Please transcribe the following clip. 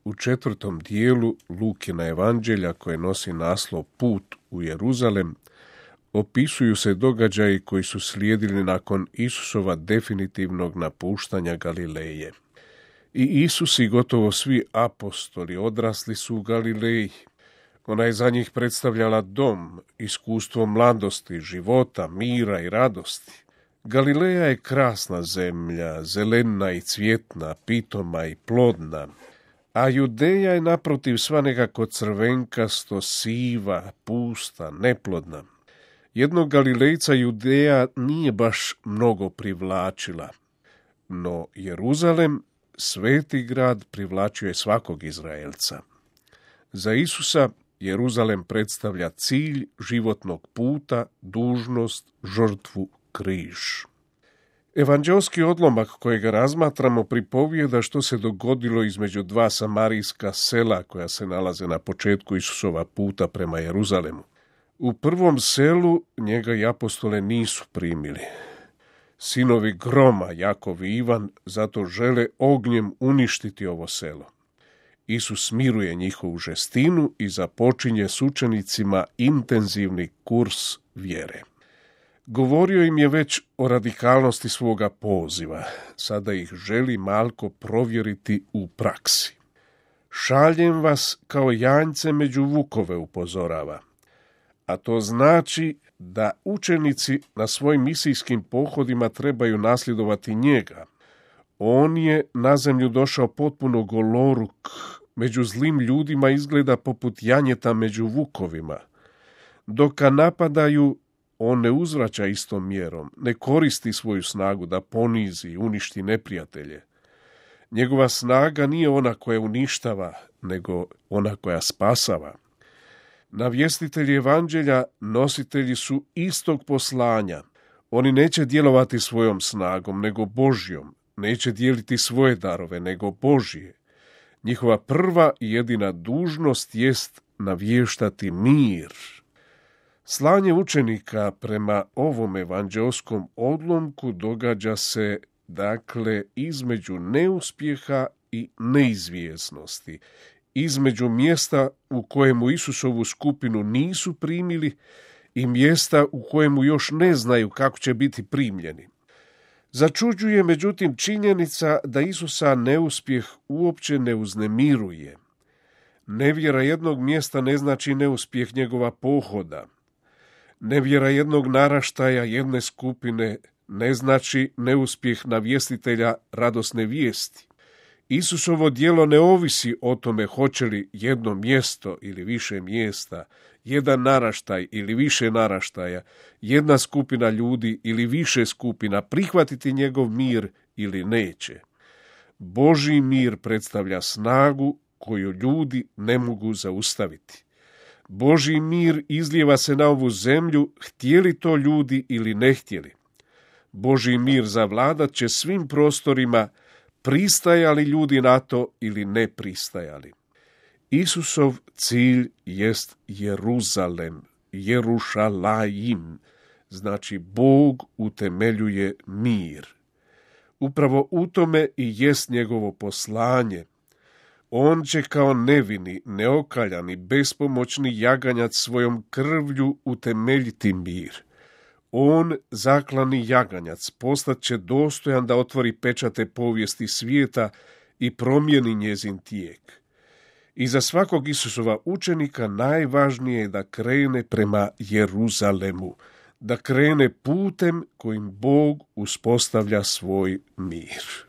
U 4. dijelu Lukina evanđelja, koje nosi naslov Put u Jeruzalem, opisuju se događaji koji su slijedili nakon Isusova definitivnog napuštanja Galileje. I Isus i gotovo svi apostoli odrasli su u Galileji. Ona je za njih predstavljala dom, iskustvo mladosti, života, mira i radosti. Galileja je krasna zemlja, zelena i cvjetna, pitoma i plodna, a Judeja je naprotiv sva nekako crvenkasto, siva, pusta, neplodna. Jednog Galilejca Judeja nije baš mnogo privlačila, no Jeruzalem, sveti grad, privlačio je svakog Izraelca. Za Isusa Jeruzalem predstavlja cilj životnog puta, dužnost, žrtvu, križ. Evanđelski odlomak kojega razmatramo pripovijeda što se dogodilo između dva samarijska sela koja se nalaze na početku Isusova puta prema Jeruzalemu. U prvom selu njega i apostole nisu primili. Sinovi groma, Jakov i Ivan, zato žele ognjem uništiti ovo selo. Isus smiruje njihovu žestinu i započinje s učenicima intenzivni kurs vjere. Govorio im je već o radikalnosti svoga poziva, sada ih želi malko provjeriti u praksi. Šaljem vas kao janjce među vukove, upozorava. A to znači da učenici na svojim misijskim pohodima trebaju nasljedovati njega. On je na zemlju došao potpuno goloruk, među zlim ljudima izgleda poput janjeta među vukovima. Dok ga napadaju, on ne uzvraća istom mjerom, ne koristi svoju snagu da ponizi i uništi neprijatelje. Njegova snaga nije ona koja uništava, nego ona koja spasava. Navjestitelji evanđelja nositelji su istog poslanja. Oni neće djelovati svojom snagom, nego Božjom. Neće dijeliti svoje darove, nego Božje. Njihova prva i jedina dužnost jest navještati mir. Slanje učenika prema ovom evanđelskom odlomku događa se, dakle, između neuspjeha i neizvjesnosti, između mjesta u kojemu Isusovu skupinu nisu primili i mjesta u kojemu još ne znaju kako će biti primljeni. Začuđuje međutim činjenica da Isusa neuspjeh uopće ne uznemiruje. Nevjera jednog mjesta ne znači neuspjeh njegova pohoda. Nevjera jednog naraštaja, jedne skupine, ne znači neuspjeh navjestitelja radosne vijesti. Isusovo djelo ne ovisi o tome hoće li jedno mjesto ili više mjesta, jedan naraštaj ili više naraštaja, jedna skupina ljudi ili više skupina prihvatiti njegov mir ili neće. Božji mir predstavlja snagu koju ljudi ne mogu zaustaviti. Božji mir izlijeva se na ovu zemlju, htjeli to ljudi ili ne htjeli. Božji mir zavladat će svim prostorima, pristajali ljudi na to ili ne pristajali. Isusov cilj jest Jeruzalem, Jerušalajim, znači Bog utemeljuje mir. Upravo u tome i jest njegovo poslanje. On će kao nevini, neokaljani, bespomoćni jaganjac svojom krvlju utemeljiti mir. On, zaklani jaganjac, postat će dostojan da otvori pečate povijesti svijeta i promijeni njezin tijek. I za svakog Isusova učenika najvažnije je da krene prema Jeruzalemu, da krene putem kojim Bog uspostavlja svoj mir.